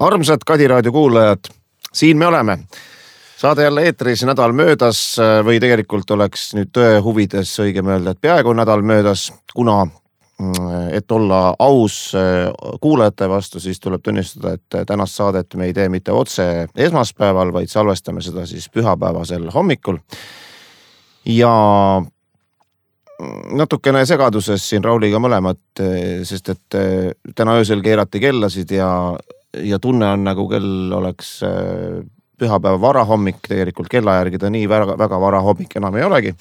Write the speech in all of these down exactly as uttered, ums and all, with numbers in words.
Armsad Kadi raadio kuulajad, siin me oleme. Saade jälle eetris nädal möödas või tegelikult oleks nüüd tõe huvides õigem öelda, et peaaegu nädal möödas, kuna et olla aus kuulajate vastu, siis tuleb tunnistada, et tänast saadet me ei tee mitte otse esmaspäeval, vaid salvestame seda siis pühapäevasel hommikul. Ja natukene segaduses siin Rauliga mõlemad, sest et täna öösel keerati kellasid ja, ja tunne on nagu kell oleks pühapäeva varahommik, tegelikult kella järgi ta nii väga, väga varahommik enam ei olegi.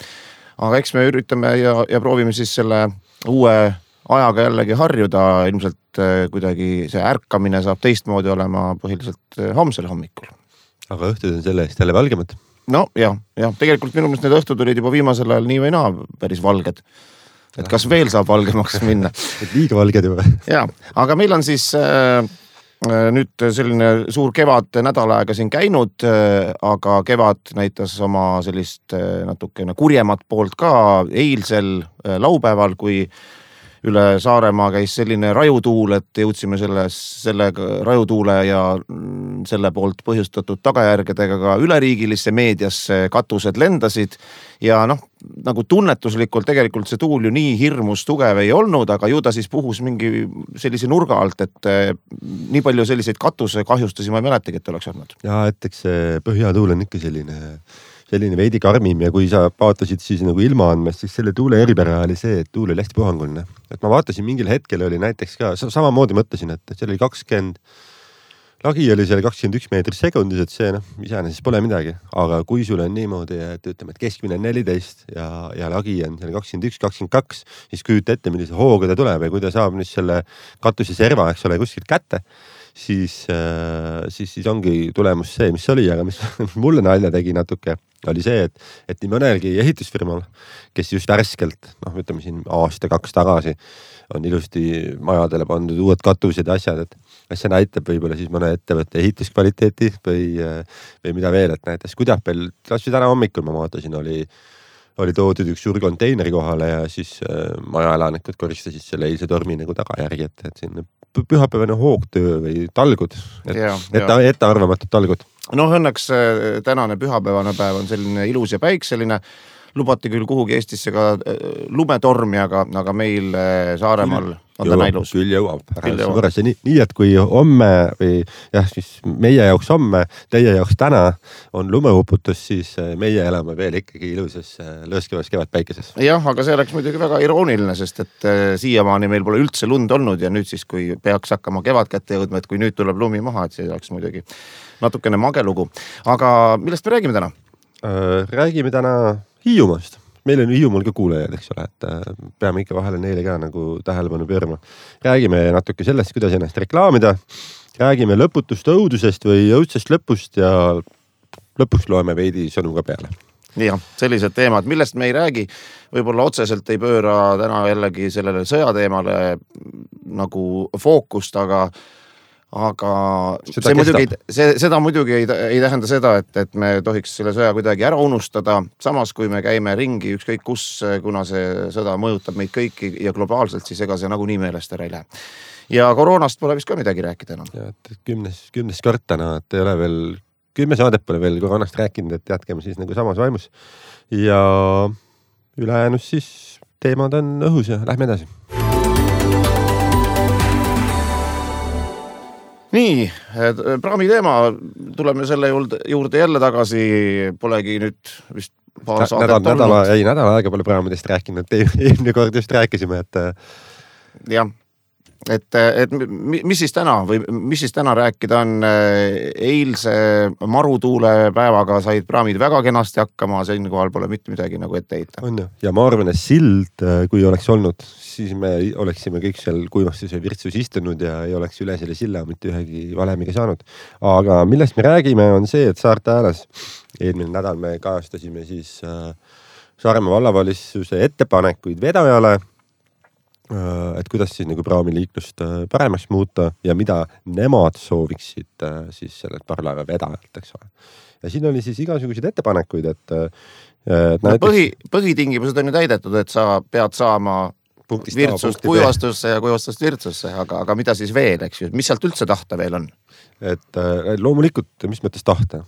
Aga eks me üritame ja, ja proovime siis selle uue ajaga jällegi harjuda, ilmselt kuidagi see ärkamine saab teistmoodi olema põhiliselt homsel hommikul. Aga õhtud on selle eest jälle valgemad? No jah, jah, tegelikult minu meelest need õhtud olid juba viimasel ajal nii või naa päris valged. Et kas veel saab valgemaks minna? Et liiga valged juba. Ja, aga meil on siis äh, nüüd selline suur kevad nädal aega siin käinud, äh, aga kevad näitas oma sellist äh, natukene kurjemat poolt ka eilsel äh, laupäeval, kui üle Saaremaa käis selline rajutuul, et jõudsime selle, selle rajutuule ja selle poolt põhjustatud tagajärgedega ka üleriigilisse meediasse, katused lendasid ja noh, nagu tunnetuslikult tegelikult see tuul ju nii hirmus tugev ei olnud, aga ju ta siis puhus mingi sellise nurga alt, et nii palju selliseid katuse kahjustusi ma ei mäletagi, et oleks olnud. Ja, et eks see põhjatuul on ikka selline selline veidi karmim ja kui sa vaatasid siis nagu ilmaandmest, siis selle tuule eripära oli see, et tuul oli hästi puhanguline. Et ma vaatasin mingil hetkel oli näiteks ka, samamoodi mõtlesin, et seal oli kakskümmend, lagi oli seal kakskümmend üks meetrit sekundis, et see noh, isääne siis pole midagi. Aga kui sul on niimoodi, et ütleme, et keskmine on neliteist ja, ja lagi on seal kakskümmend üks, kakskümmend kaks, siis küüta ette, millise hooga ta tuleb ja kui ta saab nüüd selle katuse serva, eks ole, kuskilt kätte, siis, siis, siis ongi tulemus see, mis oli, aga mis mulle nalja tegi natuke, oli see, et, et nii mõnelgi ehitusfirmal, kes just värskelt, noh, ütleme siin aasta kaks tagasi, on ilusti majadele pandud uued katused ja asjad, et see näitab võib-olla siis mõne ettevõtte ehituskvaliteeti või, või mida veel, et näitas Kudapel, kasvõi täna hommikul ma vaatasin, oli oli toodud üks suur konteineri kohale ja siis äh, majaelanikud koristasid selle eilse tormi nagu tagajärgi, et, et siin pühapäevane hoogtöö või talgud, et, ja, et, et arvamatud talgud. No õnneks tänane pühapäevane päev on selline ilus ja päikseline. Lubati küll kuhugi Eestisse ka lumetormi, aga, aga meil Saaremaal on ta näilus. Küll jõuab. jõuab. Nii, nii, et kui homme või jah, siis meie jaoks homme, teie jaoks täna on lumeuputus, siis meie elame veel ikkagi ilusas lõõskevas kevadpäikeses. Jah, aga see oleks muidugi väga irooniline, sest et siiamaani meil pole üldse lund olnud ja nüüd siis, kui peaks hakkama kevad kätte jõudma, et kui nüüd tuleb lumi maha, et see oleks muidugi natukene magelugu. Aga millest me räägime täna? Äh, räägime täna Hiiumaast. Meil on Hiiumaal ka kuulajaid, eks ole, et peame ikka vahele neile ka nagu tähelepanu pöörama. Räägime natuke sellest, kuidas ennast reklaamida. Räägime lõputust õudusest või õudsest lõpust ja lõpuks loeme veidi sõnu ka peale. Jah, sellised teemad, millest me ei räägi, võib-olla otseselt ei pööra täna jällegi sellele sõjateemale nagu fookust, aga aga seda, see muidugi, see, seda muidugi ei, ei tähenda seda, et, et me tohiks selle sõja kuidagi ära unustada. Samas, kui me käime ringi ükskõik kus, kuna see sõda mõjutab meid kõiki ja globaalselt, siis ega see nagu nii meelest ära ei lähe. Ja koroonast pole vist ka midagi rääkida enam. Ja, et kümnes, kümnes kord täna, et ei ole veel, kümme saadet pole veel koroonast rääkinud, et jätkame siis nagu samas vaimus. Ja ülejäänus siis teemad on õhus ja lähme edasi. Nii, praami teema, tuleme selle juurde, juurde jälle tagasi, polegi nüüd vist paar saadet nädal, nädala, ei, nädala aega pole praamidest rääkinud, eelmine kord just rääkisime, et jah, et, et mis siis täna või mis siis täna rääkida on, eilse marutuule päevaga said praamid väga kenasti hakkama, siin kohal pole mitte midagi nagu ette heita. On ju, ja ma arvan, et sild, kui oleks olnud, siis me oleksime kõik seal kuivastus ja virtsus istunud ja ei oleks üle selle silla mitte ühegi valemiga saanud. Aga millest me räägime on see, et Saarte Hääles eelmine nädal me kajastasime siis Saaremaa vallavalitsuse ettepanekuid vedajale, et kuidas siis nagu praamiliiklust paremaks muuta ja mida nemad sooviksid siis sellelt parlaeva vedajalt, eks ole. Ja siin oli siis igasuguseid ettepanekuid, et, et näiteks... Põhi, põhitingimused on ju täidetud, et sa pead saama virtsust kuivastusse ja kuivastust virtsusse, aga, aga mida siis veel, eks ju? Mis sealt üldse tahta veel on? et loomulikult, mis mõttes tahta?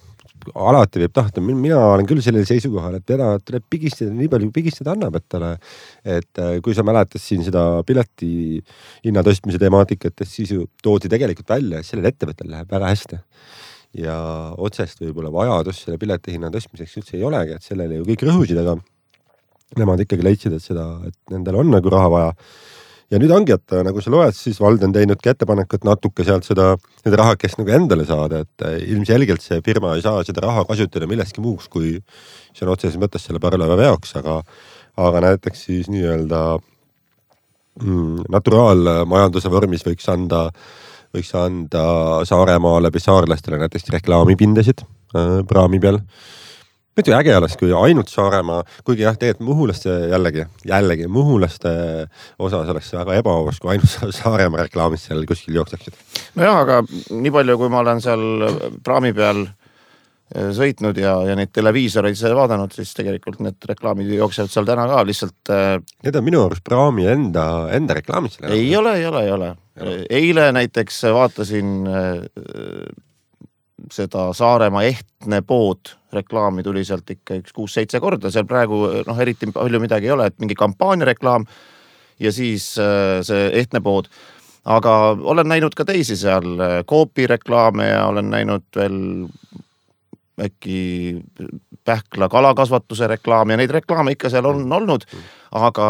Alati võib tahta, mina olen küll sellel seisukohal, et teda tuleb pigistada nii palju, kui pigistada annab, et talle, et kui sa mäletad siin seda pileti hinna tõstmise temaatikat, siis ju toodi tegelikult välja, et sellel ettevõttel läheb väga hästi. Ja otsest võib-olla vajadus selle pileti hinna tõstmiseks üldse ei olegi, et sellele ju kõik rõhusid, aga nemad ikkagi leidsid, et seda, et nendel on nagu raha vaja. Ja nüüd ongi, et nagu sa loed, siis vald on teinud ettepanekut natuke sealt seda, seda raha, kes nagu endale saada, et ilmselgelt see firma ei saa seda raha kasutada milleski muuks, kui see on otseses mõttes selle parvlaeva veoks, aga, aga näiteks siis nii-öelda mm, naturaalmajanduse vormis võiks anda, võiks anda Saaremaa läbi saarlastele näiteks reklaamipindesid äh, praami peal. Mõttu äge oleks, kui ainult Saaremaa, kuigi jah, tegelikult Muhulaste jällegi, jällegi Muhulaste osas oleks väga ebaavas, kui ainult Saaremaa reklaamis seal kuskil jookseksid. No jah, aga nii palju, kui ma olen seal praami peal sõitnud ja, ja neid televiisoreid vaadanud, siis tegelikult need reklaamid jooksevad seal täna ka lihtsalt. Need on minu arust praami enda, enda reklaamid. Ei ole, ei ole, ei ole. Eile näiteks vaatasin seda Saaremaa ehtne pood reklaami tuli sealt ikka üks kuus-seitse korda, seal praegu noh, eriti palju midagi ei ole, et mingi kampaania reklaam ja siis see ehtne pood. Aga olen näinud ka teisi seal Coopi reklaame ja olen näinud veel äkki Pähkla kalakasvatuse reklaam ja neid reklaame ikka seal on olnud, aga,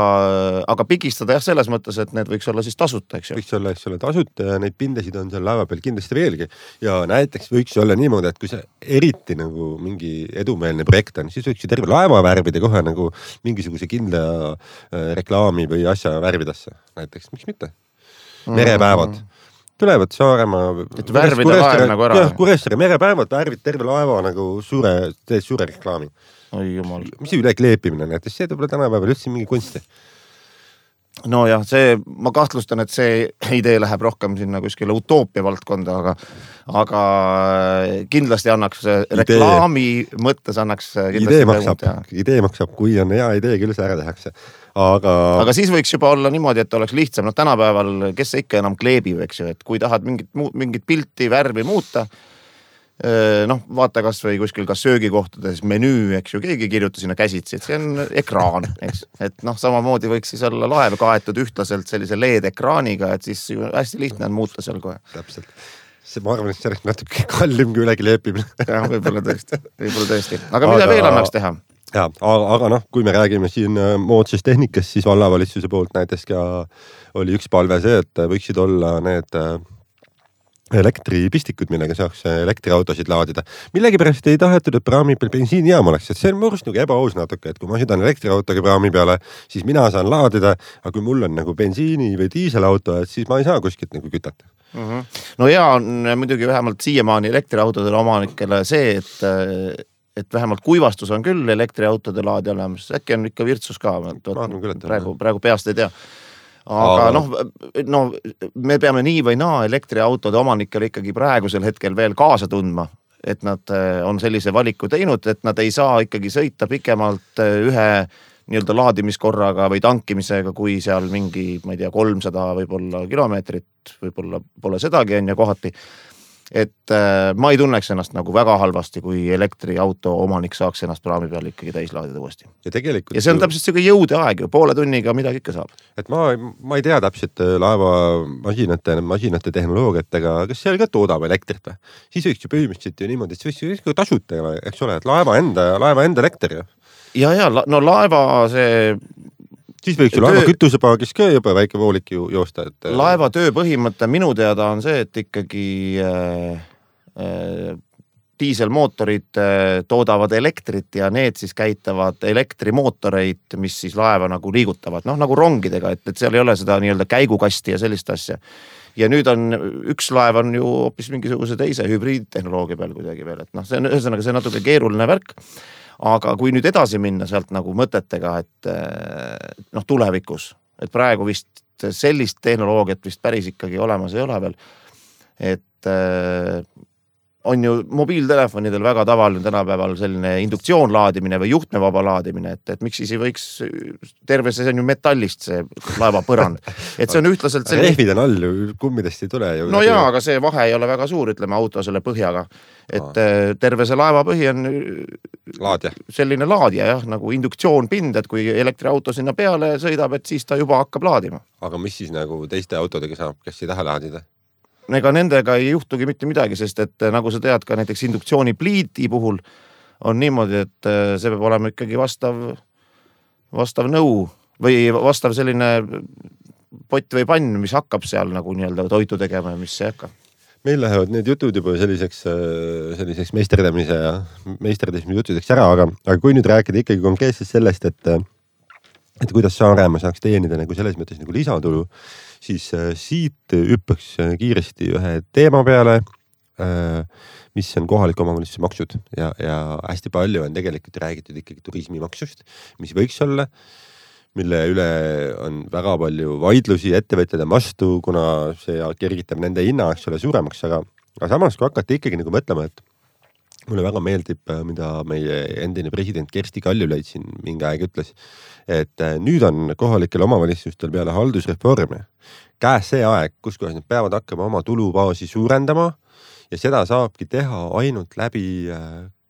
aga pigistada jah selles mõttes, et need võiks olla siis tasuta, eks ju. Võiks olla, eks ole, tasuta ja neid pindesid on seal laeva peal kindlasti veelgi. Ja näiteks võiks olla niimoodi, et kui see eriti nagu mingi edumeelne projekt on, siis võiks ju terve laeva värvida kohe nagu mingisuguse kindla reklaami või asja värvidasse. Näiteks, miks mitte? Merepäevad. Tulevad Saaremaa. Et värvida laev nagu ära. Kuressaare merepäevad värvid terve laeva nagu suure, teed suure reklaami. Oi jumal. Mis üle kleepimine näiteks, see tuleb tänapäeval üldse mingi kunsti. No jah, see, ma kahtlustan, et see idee läheb rohkem sinna kuskile utoopia valdkonda, aga, aga kindlasti annaks reklaami idee. Mõttes annaks idee maksab, idee maksab, kui on hea idee, küll see ära tehakse. Aga... aga siis võiks juba olla niimoodi, et oleks lihtsam. No tänapäeval, kes see ikka enam kleebib, eks ju, et kui tahad mingit, mingit pilti, värvi muuta, noh, vaata kas või kuskil ka söögikohtades menüü, eks ju, keegi kirjuta sinna käsitsi, et see on ekraan, eks. Et noh, samamoodi võiks siis olla laev kaetud ühtlaselt sellise L E D-ekraaniga, et siis hästi lihtne on muuta seal kohe. Täpselt. See, ma arvan, et see oleks natuke kallim kui ülegi leepimine. jah, võib-olla tõesti, võib-olla tõesti. Aga mida aga... veel annaks teha? Ja, aga, aga noh, kui me räägime siin moodsast tehnikast, siis vallavalitsuse poolt näiteks ka oli üks palve see, et võiksid olla need elektripistikud, millega saaks elektriautosid laadida. Millegi pärast ei tahetud, et praami peal bensiinijaam oleks, et see on murust nagu ebaaus natuke, et kui ma sõidan elektriautoga praami peale, siis mina saan laadida, aga kui mul on nagu bensiini või diiselauto, et siis ma ei saa kuskilt nagu kütata. Mm-hmm. No ja on muidugi vähemalt siiamaani elektriautodele omanikele see, et et vähemalt kuivastus on küll elektriautode laadi olemas, äkki on ikka virtsus ka, praegu, praegu peast ei tea. Aga noh, no, me peame nii või naa elektriautode omanikele ikkagi praegusel hetkel veel kaasa tundma, et nad on sellise valiku teinud, et nad ei saa ikkagi sõita pikemalt ühe nii-öelda laadimiskorraga või tankimisega, kui seal mingi, ma ei tea, kolmsada võib-olla kilomeetrit, võib-olla pole sedagi on ja kohati. Et äh, ma ei tunneks ennast nagu väga halvasti, kui elektriauto omanik saaks ennast praami peal ikkagi täis laadida uuesti. Ja, tegelikult ja see on täpselt see jõude aeg, poole tunniga midagi ikka saab. Et ma, ma ei tea täpselt laeva masinate, masinate tehnoloogiatega, kas seal ka toodab elektrit või? Siis võiks ju põhimõtteliselt ju niimoodi, et see võiks ju tasuta, eks ole, et laeva enda, laeva enda elekter ju. Ja, ja, no laeva see... Siis võiks ju laeva kütusepaagis ka juba väike voolik ju joosta. Et... Laeva töö põhimõte minu teada on see, et ikkagi äh, äh, diiselmootorid äh, toodavad elektrit ja need siis käitavad elektrimootoreid, mis siis laeva nagu liigutavad. Noh, nagu rongidega, et, et seal ei ole seda nii-öelda käigukasti ja sellist asja. Ja nüüd on, üks laev on ju hoopis mingisuguse teise hübriidtehnoloogia peal kuidagi veel. Et noh, see on ühesõnaga see natuke keeruline värk. Aga kui nüüd edasi minna sealt nagu mõtetega, et noh, tulevikus, et praegu vist sellist tehnoloogiat vist päris ikkagi olemas ei ole veel, et on ju mobiiltelefonidel väga tavaline tänapäeval selline induktsioon laadimine või juhtmevaba laadimine, et, et miks siis ei võiks terve see on ju metallist see laevapõrand. Et see on ühtlaselt selline... Rehvid on all ju, kummidest ei tule ju. No jaa, aga see vahe ei ole väga suur, ütleme auto selle põhjaga. Et Aa. terve see laevapõhi on laadja. Selline laadja jah, nagu induktsioonpind, et kui elektriauto sinna peale sõidab, et siis ta juba hakkab laadima. Aga mis siis nagu teiste autodega saab, kes ei taha laadida? Ega nendega ei juhtugi mitte midagi, sest et nagu sa tead ka näiteks induktsioonipliidi puhul on niimoodi, et see peab olema ikkagi vastav, vastav nõu või vastav selline pott või pann, mis hakkab seal nagu nii-öelda toitu tegema ja mis see hakka. Meil lähevad need jutud juba selliseks, selliseks meisterdamise ja meisterdamise jutudeks ära, aga, aga kui nüüd rääkida ikkagi konkreetselt sellest, et, et kuidas Saaremaa saaks teenida nagu selles mõttes nagu lisatulu, siis äh, siit hüppaks kiiresti ühe teema peale, äh, mis on kohaliku omavalitsuse maksud ja, ja hästi palju on tegelikult räägitud ikkagi turismimaksust, mis võiks olla, mille üle on väga palju vaidlusi ettevõtjad vastu, kuna see kergitab nende hinna, eks ole, suuremaks, aga, aga samas kui hakati ikkagi nagu mõtlema, et mulle väga meeldib, mida meie endine president Kersti Kaljulaid siin mingi aeg ütles, et nüüd on kohalikel omavalitsustel peale haldusreformi käes see aeg, kus kohas nad peavad hakkama oma tulubaasi suurendama ja seda saabki teha ainult läbi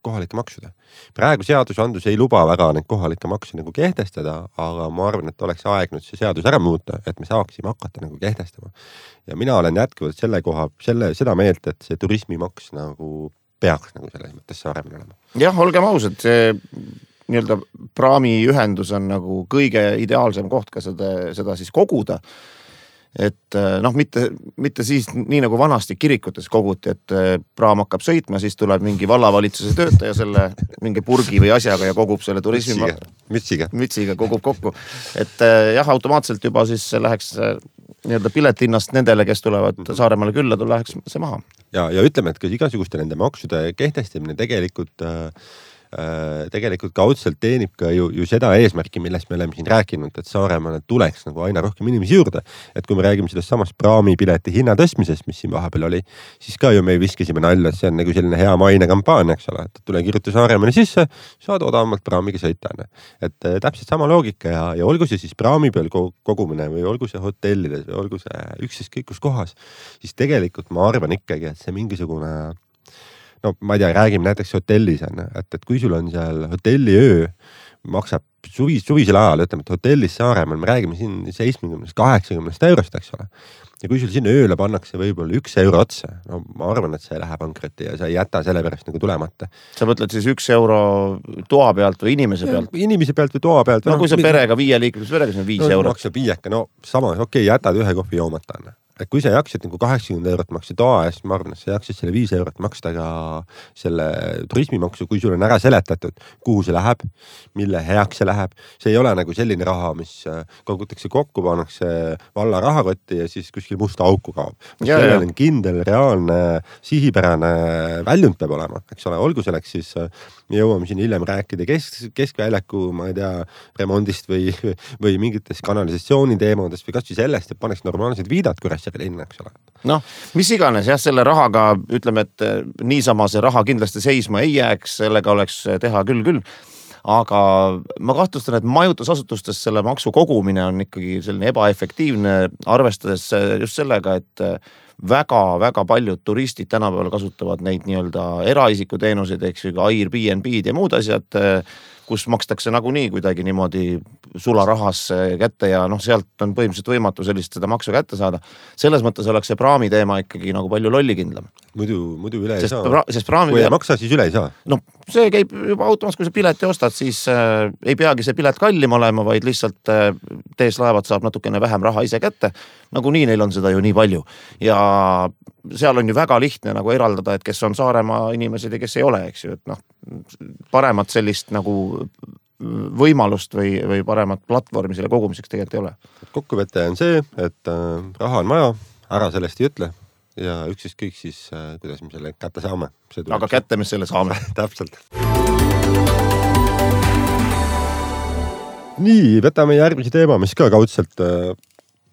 kohalike maksude. Praegu seadusandlus ei luba väga neid kohalike makse nagu kehtestada, aga ma arvan, et oleks aeg nüüd see seadus ära muuta, et me saaksime hakata nagu kehtestama. Ja mina olen jätkuvalt selle koha, selle, seda meelt, et see turismimaks nagu peaks nagu selles mõttes Saaremaal olema. Jah, olgem ausad, see nii-öelda praamiühendus on nagu kõige ideaalsem koht ka seda, seda siis koguda. Et noh, mitte, mitte siis nii nagu vanasti kirikutes koguti, et praam hakkab sõitma, siis tuleb mingi vallavalitsuse töötaja selle mingi purgi või asjaga ja kogub selle turismi mütsiga, mütsiga. mütsiga kogub kokku. Et jah, automaatselt juba siis läheks nii-öelda piletinnast nendele, kes tulevad Saaremaale külla, tul läheks see maha. Ja, ja ütleme, et kas igasuguste nende maksude kehtestamine tegelikult äh, tegelikult kaudselt teenib ka ju, ju seda eesmärki, millest me oleme siin rääkinud, et Saaremaale tuleks nagu aina rohkem inimesi juurde. Et kui me räägime sellest samast praamipileti hinna tõstmisest, mis siin vahepeal oli, siis ka ju me viskasime nalja, et see on nagu selline hea maine kampaania, eks ole, et tule kirjuta Saaremaale sisse, saad odavamalt praamiga sõita. Et täpselt sama loogika ja, ja olgu see siis praami peal kogumine või olgu see hotellides või olgu see üksis kõikus kohas, siis tegelikult ma arvan ikkagi, et see mingisugune no ma ei tea, räägime näiteks hotellis, et, et kui sul on seal hotelliöö, maksab suvis, suvisel ajal, ütleme, et hotellis Saaremaal, me räägime siin seitsmekümnest, kaheksakümnest eurost, eks ole. Ja kui sul sinna ööle pannakse võib-olla üks euro otsa, no ma arvan, et see läheb pankrotti ja sa ei jäta selle pärast nagu tulemata. Sa mõtled siis üks euro toa pealt või inimese pealt? Ja, inimese pealt või toa pealt. No kui sa perega viie liikluses perega, see on viis no, eurot. Maksab viieka, no sama, okei, okay, jätad ühe kohvi joomata. Et kui sa jaksid nagu kaheksakümmend eurot maksta toa eest, ma arvan, et sa jaksid selle viis eurot maksta ka selle turismimaksu, kui sul on ära seletatud, kuhu see läheb, mille heaks see läheb. See ei ole nagu selline raha, mis kogutakse kokku, pannakse valla rahakotti ja siis kuskil musta auku kaob. Sellel on kindel, reaalne, sihipärane väljund peab olema, eks ole, olgu selleks siis, me jõuame siin hiljem rääkida kesk, keskväljaku, ma ei tea, remondist või, või mingitest kanalisatsiooni teemadest või kas või sellest, et paneks normaalsed viidad, kui linna, eks ole. Noh, mis iganes, jah, selle rahaga ütleme, et niisama see raha kindlasti seisma ei jääks, sellega oleks teha küll küll, aga ma kahtlustan, et majutusasutustes selle maksu kogumine on ikkagi selline ebaefektiivne, arvestades just sellega, et väga-väga paljud turistid tänapäeval kasutavad neid nii-öelda eraisiku teenuseid, eks ju, Airbnb-d ja muud asjad, kus makstakse nagunii kuidagi niimoodi sularahas kätte ja noh, sealt on põhimõtteliselt võimatu sellist seda maksu kätte saada. Selles mõttes oleks see praami teema ikkagi nagu palju lollikindlam. Muidu, muidu üle ei sest saa. Pra, sest praami kui ei maksa, siis üle ei saa. No see käib juba automaatselt, kui sa pileti ostad, siis äh, ei peagi see pilet kallim olema, vaid lihtsalt äh, tees laevad saab natukene vähem raha ise kätte. Nagu nii neil on seda ju nii palju. Ja seal on ju väga lihtne nagu eraldada, et kes on Saaremaa inimesed ja kes ei ole, eks ju, et noh, paremat sellist nagu võimalust või, või paremat platvormi selle kogumiseks tegelikult ei ole. Kokkuvõte on see, et äh, raha on maja, ära sellest ei ütle ja üksis kõik siis, äh, kuidas me selle kätte saame. Aga kätte me selle saame. Täpselt. Nii, võtame järgmise teema, mis ka kaudselt äh,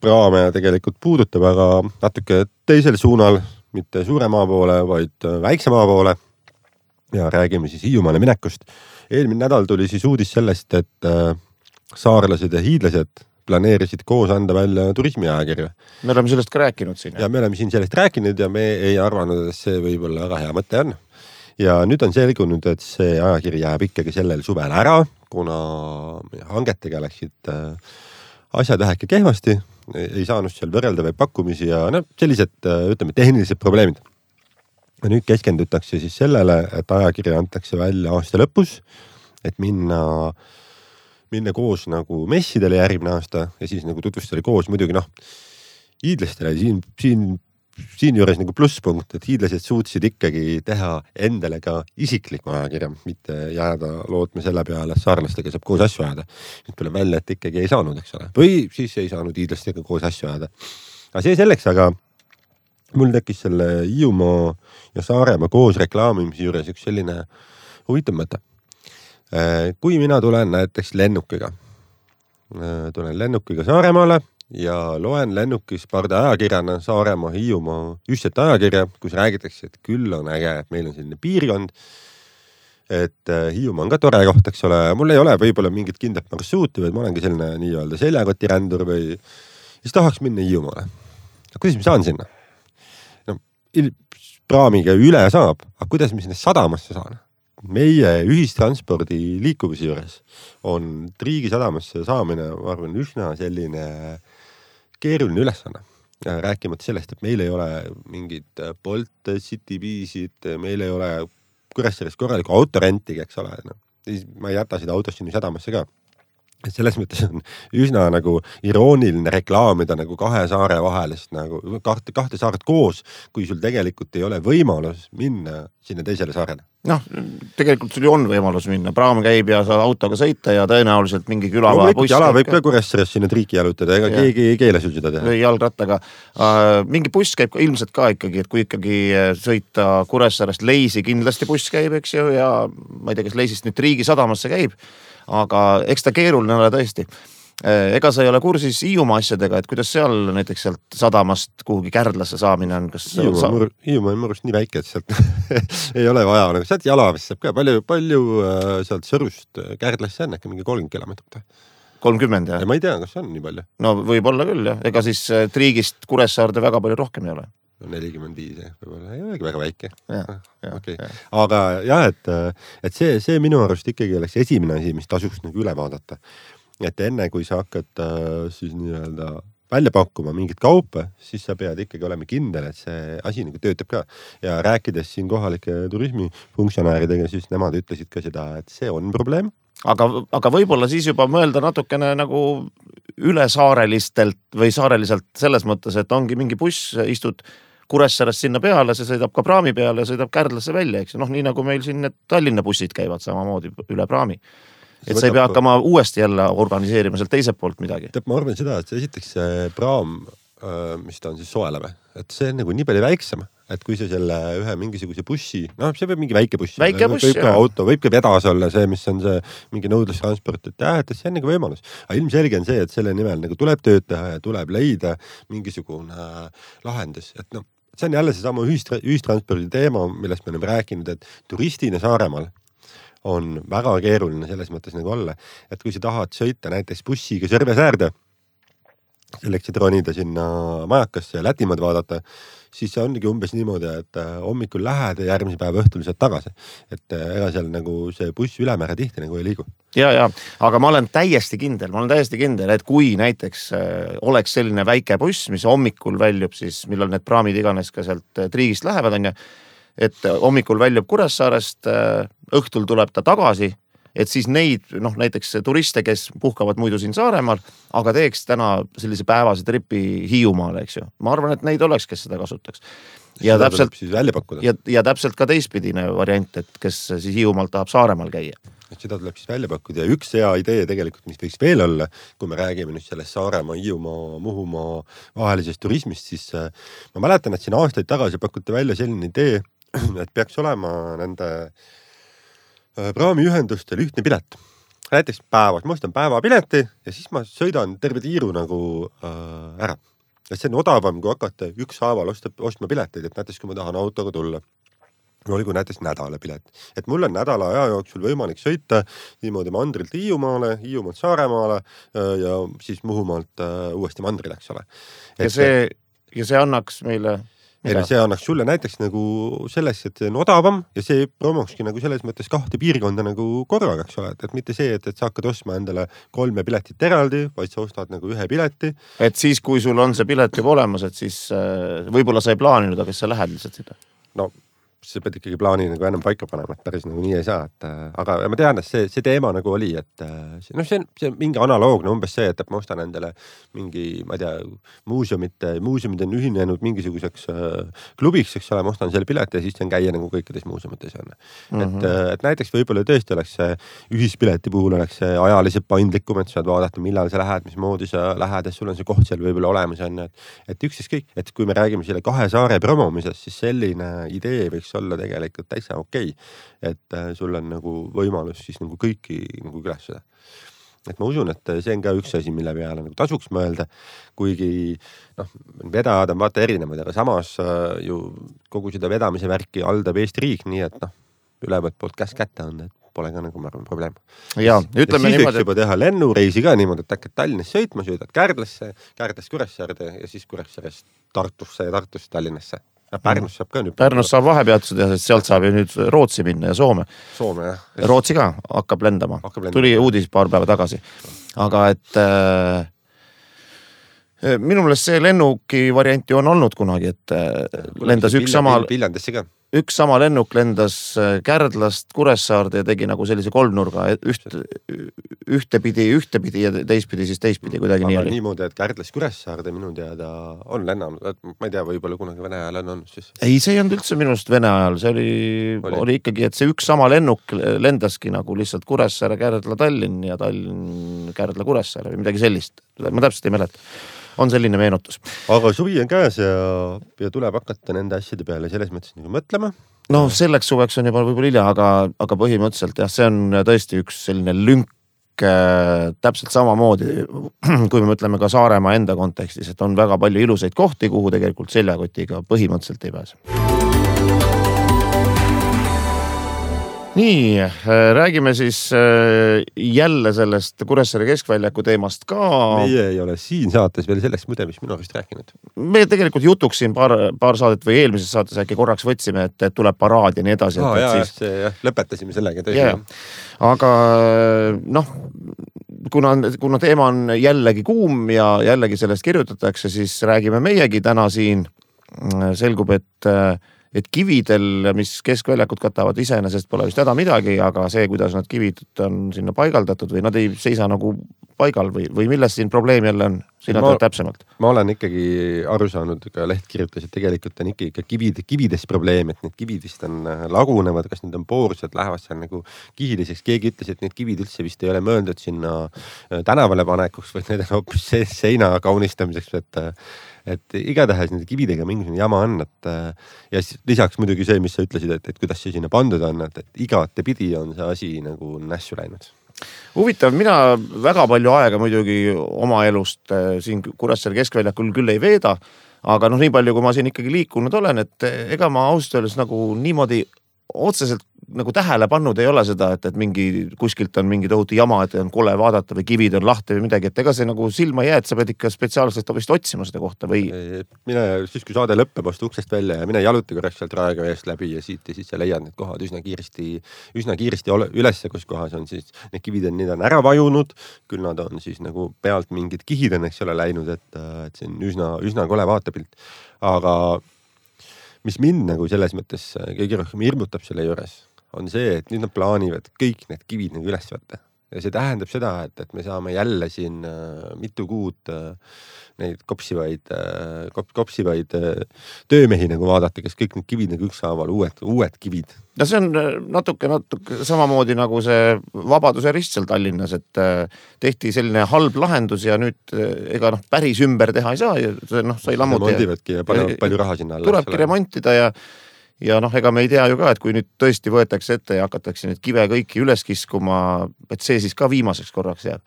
praame tegelikult puudutab, aga natuke teisel suunal, mitte suure maa poole, vaid väikse maa poole. Ja räägime siis Hiiumaale minekust. Eelmine nädal tuli siis uudis sellest, et saarlased ja hiidlased planeerisid koos anda välja turismiajakirja. Me oleme sellest ka rääkinud siin. Ja me oleme siin sellest rääkinud ja me ei arvanud, et see võib olla väga hea mõte on. Ja nüüd on selgunud, et see ajakiri jääb ikkagi sellel suvel ära, kuna hangetega läksid asjad väheke kehvasti, ei saanud seal võrreldavaid pakkumisi ja no, sellised, ütleme, tehnilised probleemid. Ja nüüd keskendutakse siis sellele, et ajakirja antakse välja aasta lõpus, et minna, minna koos nagu messidele järgmine aasta ja siis nagu tutvustada koos muidugi noh, hiidlastele siin, siin siin juures nagu plusspunkt, et hiidlased suutsid ikkagi teha endale ka isikliku ajakirja, mitte jääda lootma selle peale, et saarlastega saab koos asju ajada. Nüüd tuleb välja, et ikkagi ei saanud, eks ole. Või siis ei saanud hiidlastega koos asju ajada. Aga see selleks, aga mul tekkis selle Hiiumaa ja Saaremaa koos reklaamimise juures üks selline huvitav mõte. Kui mina tulen näiteks lennukiga, tulen lennukiga Saaremaale, ja loen lennukis parde ajakirjana Saaremaa Hiiumaa ühtset ajakirja, kus räägitakse, et küll on äge, et meil on selline piirkond, et Hiiumaa on ka tore koht, eks ole, mul ei ole võib-olla mingit kindlat marsruuti, vaid ma olengi selline nii-öelda seljakotirändur või siis tahaks minna Hiiumaale. Kuidas ma saan sinna? No, praamiga üle saab, aga kuidas ma sinna sadamasse saan? Meie ühistranspordi liikuvuse juures on Triigi sadamasse saamine, ma arvan, üsna selline keeruline ülesanne. Rääkimata sellest, et meil ei ole mingid Bolt, Citybisid, meil ei ole Kuressaares korralikku autorentigi, eks ole. No, ma ei jäta seda autost sinna sadamasse ka. Selles mõttes on üsna nagu irooniline reklaamida nagu kahe saare vahelist, nagu kahte, kahte saaret koos, kui sul tegelikult ei ole võimalus minna sinna teisele saarele. Noh, tegelikult sul ju on võimalus minna. Praam käib ja saad autoga sõita ja tõenäoliselt mingi küla no, buss. Jala võib ka Kuressaares sinna Triiki jalutada, ega ja. keegi ei keele sul seda teha. Või jalgrattaga. Mingi buss käib ka, ilmselt ka ikkagi, et kui ikkagi sõita Kuressaarest Leisi, kindlasti buss käib, eks ju, ja ma ei tea, kes Leisist nüüd Triigi sadamasse käib, aga eks ta keeruline ole tõesti. Ega sa ei ole kursis Hiiumaa asjadega, et kuidas seal näiteks sealt sadamast kuhugi Kärdlasse saamine on? Kas Hiiumaa, sa... mur, Hiiumaa on murust nii väike, et sealt ei ole vaja. Nagu sealt jalavist saab ka palju, palju äh, sealt Sõrust Kärdlasse on äkki mingi kolmkümmend kilomeetrit. kolmkümmend, jah? Ja ma ei tea, kas on nii palju. No võib olla küll, jah. Ega siis Triigist Kuressaarde väga palju rohkem ei ole. No nelikümmend viis, võib-olla ei olegi väga väike. Ja, ja, okay. ja. Aga jah, et, et see, see minu arust ikkagi oleks esimene asi, mis tasuks nagu üle vaadata. Et enne, kui sa hakkad siis nii-öelda välja pakkuma mingit kaupa, siis sa pead ikkagi olema kindel, et see asi nagu töötab ka. Ja rääkides siin kohalike turismifunktsionääridega, siis nemad ütlesid ka seda, et see on probleem. Aga, aga võib-olla siis juba mõelda natukene nagu ülesaarelistelt või saareliselt selles mõttes, et ongi mingi buss, istud Kuressaarest sinna peale, see sõidab ka praami peale ja sõidab Kärdlasse välja, eks. Noh, nii nagu meil siin need Tallinna bussid käivad samamoodi üle praami. Et sa ei pea hakkama uuesti jälle organiseerima sealt teiselt poolt midagi. Teab, ma arvan seda, et esiteks see praam, mis ta on siis soeleme, et see on nagu nii palju väiksem, et kui see selle ühe mingisuguse bussi, noh, see võib mingi väike buss, väike buss, võib ka auto, võib ka vedas olla see, mis on see mingi nõudlustransport, et jah, et see on nagu võimalus. Aga ilmselge on see, et selle nimel nagu tuleb tööd teha ja tuleb leida mingisugune lahendus, et noh, see on jälle see sama ühistra- ühistranspordi teema, millest me oleme rääkinud, et turistina Saaremaal on väga keeruline selles mõttes nagu olla, et kui sa tahad sõita näiteks bussiga Sõrvesäärde, selleks, et ronida sinna majakasse ja Lätimaad vaadata, siis see ongi umbes niimoodi, et hommikul lähed ja järgmise päeva õhtul saad tagasi. Et ega seal nagu see buss ülemäära tihti nagu ei liigu. Ja, ja, aga ma olen täiesti kindel, ma olen täiesti kindel, et kui näiteks oleks selline väike buss, mis hommikul väljub siis, millal need praamid iganes ka sealt Triigist lähevad, on ja, et hommikul väljub Kuressaarest, õhtul tuleb ta tagasi, et siis neid, noh, näiteks turiste, kes puhkavad muidu siin Saaremaal, aga teeks täna sellise päevase tripi Hiiumaale, eks ju. Ma arvan, et neid oleks, kes seda kasutaks. Ja seda täpselt, siis välja pakkuda. Ja, ja täpselt ka teistpidine variant, et kes siis Hiiumaalt tahab Saaremaal käia. Et seda tuleb siis välja pakkuda ja üks hea idee tegelikult, mis võiks veel olla, kui me räägime nüüd sellest Saaremaa, Hiiumaa, Muhumaa vahelisest turismist, siis ma mäletan, et siin aastaid tagasi pakuti välja selline idee, et peaks olema nende praamiühendustel ühtne pilet. Näiteks päevas, ma ostan päevapileti ja siis ma sõidan terve tiiru nagu äh, ära. et see on odavam, kui hakata ükshaaval osta, ostma pileteid, et näiteks kui ma tahan autoga tulla. Olgu näiteks nädala pilet. Et mul on nädala aja jooksul võimalik sõita niimoodi mandrilt Hiiumaale, Hiiumaalt Saaremaale ja siis Muhumaalt uuesti mandrile, eks ole. Et ja, see, ja see annaks meile... Mida? See annaks sulle näiteks nagu selles, et see on odavam ja see promokski nagu selles mõttes kahte piirkonda nagu korraga, eks ole. Et, et mitte see, et, et sa hakkad ostma endale kolme piletit eraldi, vaid sa ostad nagu ühe pileti. Et siis, kui sul on see pilet juba olemas, et siis võib-olla sa ei plaaninud, aga sa lähed lihtsalt seda? No sa pead ikkagi plaani nagu enam paika panema, et päris nagu nii ei saa, et aga ma tean, et see, see teema nagu oli, et noh, see on, see on mingi analoogne umbes see, et ma ostan endale mingi, ma ei tea, muuseumite, muuseumid on ühinenud mingisuguseks äh, klubiks, eks ole, ma ostan selle pileti ja siis on käia nagu kõikides muuseumites on. Mm-hmm. Et, et näiteks võib-olla tõesti oleks see ühispileti puhul oleks see ajaliselt paindlikum, et sa saad vaadata, millal sa lähed, mismoodi sa lähed, et sul on see koht seal võib-olla olemas on, et, et üksis kõik, et kui me räägime selle kahe saare promomisest, siis selline idee võiks olla tegelikult täitsa okei, et äh, sul on nagu võimalus siis nagu kõiki nagu külastada. Et ma usun, et see on ka üks asi, mille peale nagu tasuks mõelda, kuigi noh, vedajad on vaata erinevad, aga samas äh, ju kogu seda vedamise värki haldab Eesti riik, nii et noh, ülevalt poolt käs kätte on, et pole ka nagu ma arvan probleem. Ja, ütleme ja siis niimoodi, võiks juba teha lennureisi ka niimoodi, et hakkad Tallinnas sõitma, sõidad Kärdlasse, Kärdlast Kuressaarde ja siis Kuressaarest Tartusse ja Tartusse Tallinnasse. Pärnus saab ka nüüd. Pärnus saab vahepeatused ja sealt saab ju nüüd Rootsi minna ja Soome. Soome, jah. Rootsi ka hakkab lendama. Hakkab lendama. Tuli uudis paar päeva tagasi. Aga et äh, minu meelest see lennuki varianti on olnud kunagi, et äh, lendas üks sama... Viljandisse ka. Üks sama lennuk lendas Kärdlast Kuressaarde ja tegi nagu sellise kolmnurga üht, ühtepidi, ühtepidi ja teistpidi, siis teistpidi kuidagi aga nii oli. Niimoodi, et Kärdlast Kuressaarde minu teada on lennanud, ma ei tea, võib-olla kunagi Vene ajal on olnud siis. Ei, see ei olnud üldse minust Vene ajal, see oli, oli. oli ikkagi, et see üks sama lennuk lendaski nagu lihtsalt Kuressaare, Kärdla, Tallinn ja Tallinn, Kärdla, Kuressaare või midagi sellist. Ma täpselt ei mäleta. On selline meenutus. Aga suvi on käes ja, ja tuleb hakata nende asjade peale selles mõttes nagu mõtlema. No selleks suveks on juba võib-olla hilja, aga, aga põhimõtteliselt jah, see on tõesti üks selline lünk äh, täpselt samamoodi, kui me mõtleme ka Saaremaa enda kontekstis, et on väga palju ilusaid kohti, kuhu tegelikult seljakotiga põhimõtteliselt ei pääse. Nii, räägime siis jälle sellest Kuressaare keskväljaku teemast ka. Meie ei ole siin saates veel selleks muide, mis minu arust rääkinud. Me tegelikult jutuks siin paar, paar saadet või eelmises saates äkki korraks võtsime, et tuleb paraad ja nii edasi. Aa, et, jah, siis... see, jah, lõpetasime sellega. Tõsi, yeah. Aga noh, kuna, kuna teema on jällegi kuum ja jällegi sellest kirjutatakse, siis räägime meiegi täna siin. Selgub, et et kividel, mis keskväljakut katavad iseenesest pole vist häda midagi, aga see, kuidas nad kivid on sinna paigaldatud või nad ei seisa nagu paigal või, või milles siin probleem jälle on? Sina tead täpsemalt. Ma olen ikkagi aru saanud, ka leht kirjutas, et tegelikult on ikka kivid, kivides probleem, et need kivid vist on lagunevad, kas need on poorsed, lähevad seal nagu kihiliseks. Keegi ütles, et need kivid üldse vist ei ole mõeldud sinna tänavale panekuks, või need on hoopis seina kaunistamiseks, et et igatahes nende kividega mingisugune jama on, et ja lisaks muidugi see, mis sa ütlesid, et, et kuidas see sinna pandud on, et, et igate pidi on see asi nagu nässu läinud. Huvitav, mina väga palju aega muidugi oma elust siin Kuressaare keskväljakul küll ei veeda, aga noh, nii palju, kui ma siin ikkagi liikunud olen, et ega ma ausalt öeldes nagu niimoodi otseselt nagu tähele pannud ei ole seda, et, et mingi kuskilt on mingi tohutu jama, et on kole vaadata või kivid on lahti või midagi, et ega see nagu silma jää, et sa pead ikka spetsiaalselt vist otsima seda kohta või... Mine siis, kui saade lõppeb, astu uksest välja ja mine jaluti korraks sealt Raekoja eest läbi ja siit ja siis sa leiad need kohad üsna kiiresti, üsna kiiresti ülesse, kus kohas on siis need kivid on, need on ära vajunud, küll nad on siis nagu pealt mingid kihid on, eks ole, läinud, et, et see on üsna, üsna kole vaatepilt. Aga mis mind nagu selles mõttes kõige rohkem hirmutab selle juures, on see, et nüüd nad plaanivad kõik need kivid nagu üles võtta. Ja see tähendab seda, et, et me saame jälle siin äh, mitu kuud äh, neid kopsivaid, äh, kop, kopsivaid äh, töömehi nagu vaadata, kes kõik need kivid nagu ükshaaval, uued, uued kivid. Ja see on natuke, natuke samamoodi nagu see Vabaduse rist seal Tallinnas, et äh, tehti selline halb lahendus ja nüüd äh, ega noh, päris ümber teha ei saa. Ja, noh, sai lammuti remontivadki ja palju, palju raha sinna alla. Tulebki remontida ja Ja noh, ega me ei tea ju ka, et kui nüüd tõesti võetakse ette ja hakatakse need kive kõiki üles kiskuma, et see siis ka viimaseks korraks jääb.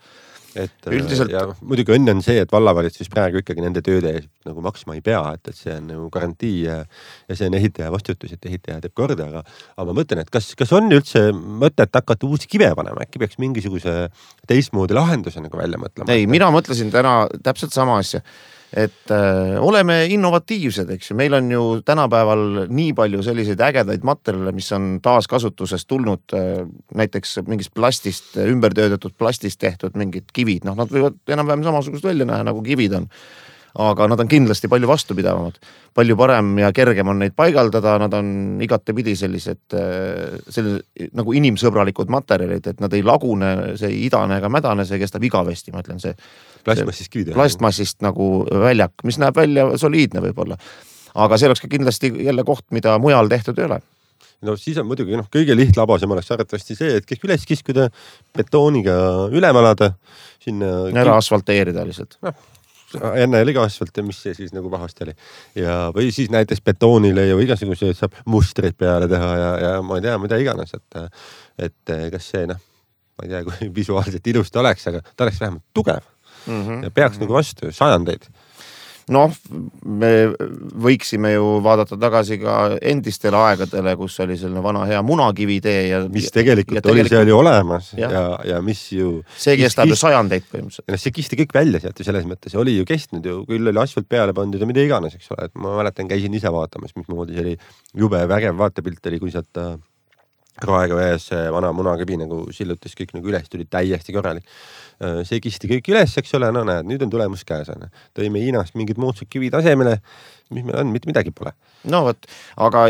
et üldiselt ja muidugi õnn on see, et vallavalitsus praegu ikkagi nende tööde nagu maksma ei pea, et, et see on nagu garantii ja, ja see on ehitaja vastutus, et ehitaja teeb korda, aga, aga ma mõtlen, et kas, kas on üldse mõtet hakata uusi kive panema, äkki peaks mingisuguse teistmoodi lahenduse nagu välja mõtlema? Ei, mina mõtlesin täna täpselt sama asja, et äh, oleme innovatiivsed, eks ju, meil on ju tänapäeval nii palju selliseid ägedaid materjale, mis on taaskasutusest tulnud, äh, näiteks mingist plastist, ümbertöödatud plastist tehtud mingid kivid, noh, nad võivad enam-vähem samasugust välja näha, nagu kivid on. Aga nad on kindlasti palju vastupidavamad, palju parem ja kergem on neid paigaldada, nad on igatepidi sellised, sellised nagu inimsõbralikud materjalid, et nad ei lagune, see ei idane ega mädane, see kestab igavesti, ma ütlen see. Plastmassist kivid. Plastmassist nagu väljak, mis näeb välja soliidne võib-olla. Aga see oleks ka kindlasti jälle koht, mida mujal tehtud ei ole. No siis on muidugi noh, kõige lihtlabasem oleks arvatavasti see, et kõik üles kiskuda, betooniga ülemalada, sinna ära asfalteerida lihtsalt. No. Enne oli ka asfalt ja mis see siis nagu pahasti oli. Ja, või siis näiteks betoonile ja igasuguseid saab mustreid peale teha ja, ja ma ei tea, mida iganes, et, et kas see, noh, ma ei tea, kui visuaalselt ilusti oleks, aga ta oleks vähemalt tugev mm-hmm. ja peaks mm-hmm. nagu vastu sajandeid. Noh, me võiksime ju vaadata tagasi ka endistele aegadele, kus oli selline vana hea munakivitee ja mis tegelikult, ja tegelikult oli seal ju olemas ja, ja, ja mis ju see kestab ju sajandeid põhimõtteliselt. Ja see kisti kõik välja sealt ju selles mõttes, oli ju kestnud ju, küll oli asfalt peale pandud ja mida iganes, eks ole, et ma mäletan, käisin ise vaatamas, mis moodi see oli jube vägev vaatepilt oli, kui sealt Raega vees vana munakivi nagu sillutas kõik nagu üles, tuli täiesti korralik. See kisti kõik üles, eks ole, no näed, nüüd on tulemus käes. Tõime Hiinast mingid moodsad kivid asemele, mis meil on, mitte midagi pole. No võt, aga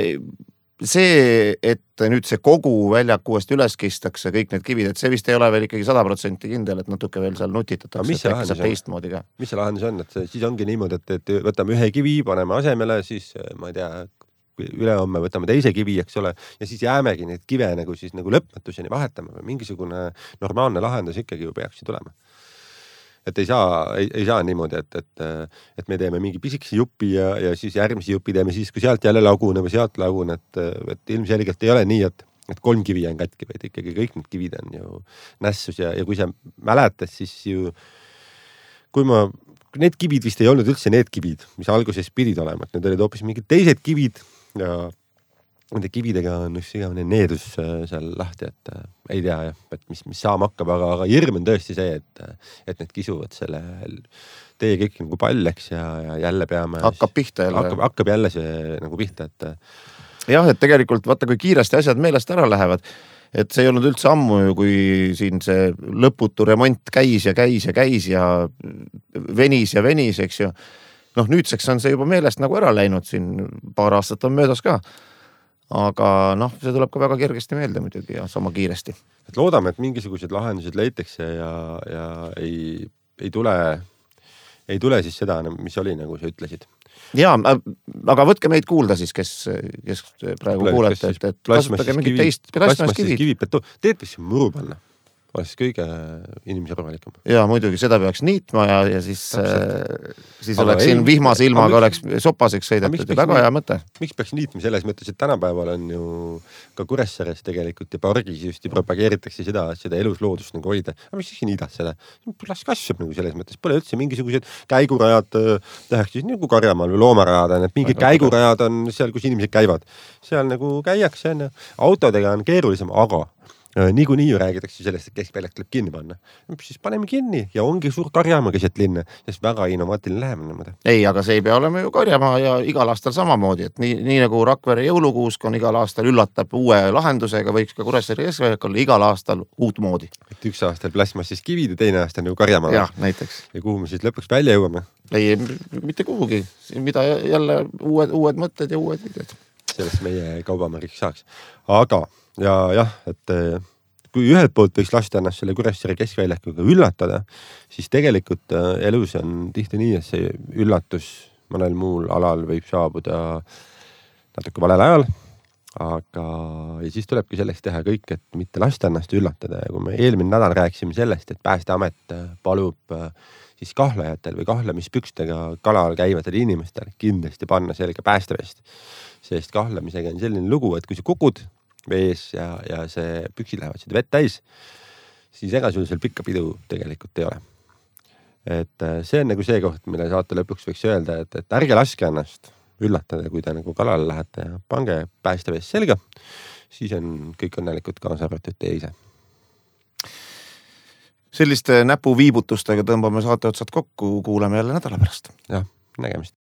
see, et nüüd see kogu väljak uuesti üles kistakse, kõik need kivid, et see vist ei ole veel ikkagi sada protsenti kindel, et natuke veel seal nutitatakse, mis see lahendus teistmoodi ka. Mis see lahendus on, et siis ongi niimoodi, et, et võtame ühe kivi, paneme asemele, siis ma ei tea, ülehomme võtame teise kivi, eks ole, ja siis jäämegi neid kive nagu siis nagu lõpmatuseni vahetama või mingisugune normaalne lahendus ikkagi ju peaks ju tulema. Et ei saa, ei, ei saa niimoodi, et, et, et me teeme mingi pisikese jupi ja, ja siis järgmise jupi teeme siis, kui sealt jälle lagune või sealt lagune, et, et ilmselgelt ei ole nii, et, et kolm kivi on katki, vaid ikkagi kõik need kivid on ju nässus ja, ja kui sa mäletad, siis ju kui ma, need kivid vist ei olnud üldse need kivid, mis alguses pidid olema, et need olid hoopis mingid teised kivid ja nende kividega on üks igavene needus seal lahti, et äh, ei tea jah, et mis, mis saama hakkab, aga, aga hirm on tõesti see, et, et need kisuvad selle tee kõik nagu palleks ja, ja jälle peame... Hakkab pihta jälle. Hakkab, hakkab jälle see nagu pihta, et... Jah, et tegelikult vaata, kui kiiresti asjad meelest ära lähevad, et see ei olnud üldse ammu ju, kui siin see lõputu remont käis ja käis ja käis ja venis ja venis, eks ju. Noh, nüüdseks on see juba meelest nagu ära läinud, siin paar aastat on möödas ka. Aga noh, see tuleb ka väga kergesti meelde muidugi ja sama kiiresti. Et loodame, et mingisugused lahendused leitakse ja, ja ei, ei, tule, ei tule siis seda, mis oli, nagu sa ütlesid. Jaa, aga võtke meid kuulda siis, kes, kes praegu Pla, kuulete, et, et kasutage mingit teist plasmaskivid. Teed võiks muru panna. Oleks kõige inimesarvalikum. Jaa, muidugi, seda peaks niitma ja, ja siis, äh, siis aga oleks ei, siin vihmase ilmaga oleks sopaseks sõidetud ja väga hea mõte. Miks peaks niitma selles mõttes, et tänapäeval on ju ka Kuressaares tegelikult ja pargis just propageeritakse seda, seda elusloodust nagu hoida. Aga miks siis niidad seda? Las kasvab nagu selles mõttes. Pole üldse mingisugused käigurajad tehakse siis nagu karjamaal või loomarajad on, et mingid käigurajad on seal, kus inimesed käivad. Seal nagu käiakse, autodega on keerulisem, aga niikuinii ju räägitakse sellest, et keskväljak tuleb kinni panna. Siis paneme kinni ja ongi suur karjamaa keset linna, sest väga innovaatiline lähemine. Ei, aga see ei pea olema ju karjamaa ja igal aastal samamoodi, et nii, nii nagu Rakvere jõulukuusk on igal aastal üllatab uue lahendusega, võiks ka Kuressaare keskväljak olla igal aastal uut moodi. Et üks aastal plasmassist kivid ja teine aasta nagu karjamaa. Jah, näiteks. Ja kuhu me siis lõpuks välja jõuame? Ei, mitte kuhugi. Mida jälle uued, uued mõtted ja uued videod. Sellest meie kaubamärgiks saaks. Aga ja jah, et kui ühelt poolt võiks lasta ennast selle Kuressaare keskväljakuga üllatada, siis tegelikult elus on tihti nii, et see üllatus mõnel muul alal võib saabuda natuke valel ajal, aga ja siis tulebki selleks teha kõik, et mitte lasta ennast üllatada ja kui me eelmine nädal rääkisime sellest, et Päästeamet palub siis kahlajatel või kahlamispükstega kalal käivatel inimestel kindlasti panna selga päästevest, sest kahlamisega on selline lugu, et kui sa kukud vees ja, ja see püksid lähevad seda vett täis, siis ega sul seal pikka pidu tegelikult ei ole. et see on nagu see koht, mille saate lõpuks võiks öelda, et, et ärge laske ennast üllatada, kui te nagu kalale lähete ja pange päästevees selga, siis on kõik õnnelikud kaasa arvatud teie ise. Selliste näpuviibutustega tõmbame saate otsad kokku, kuuleme jälle nädala pärast. jah, nägemist.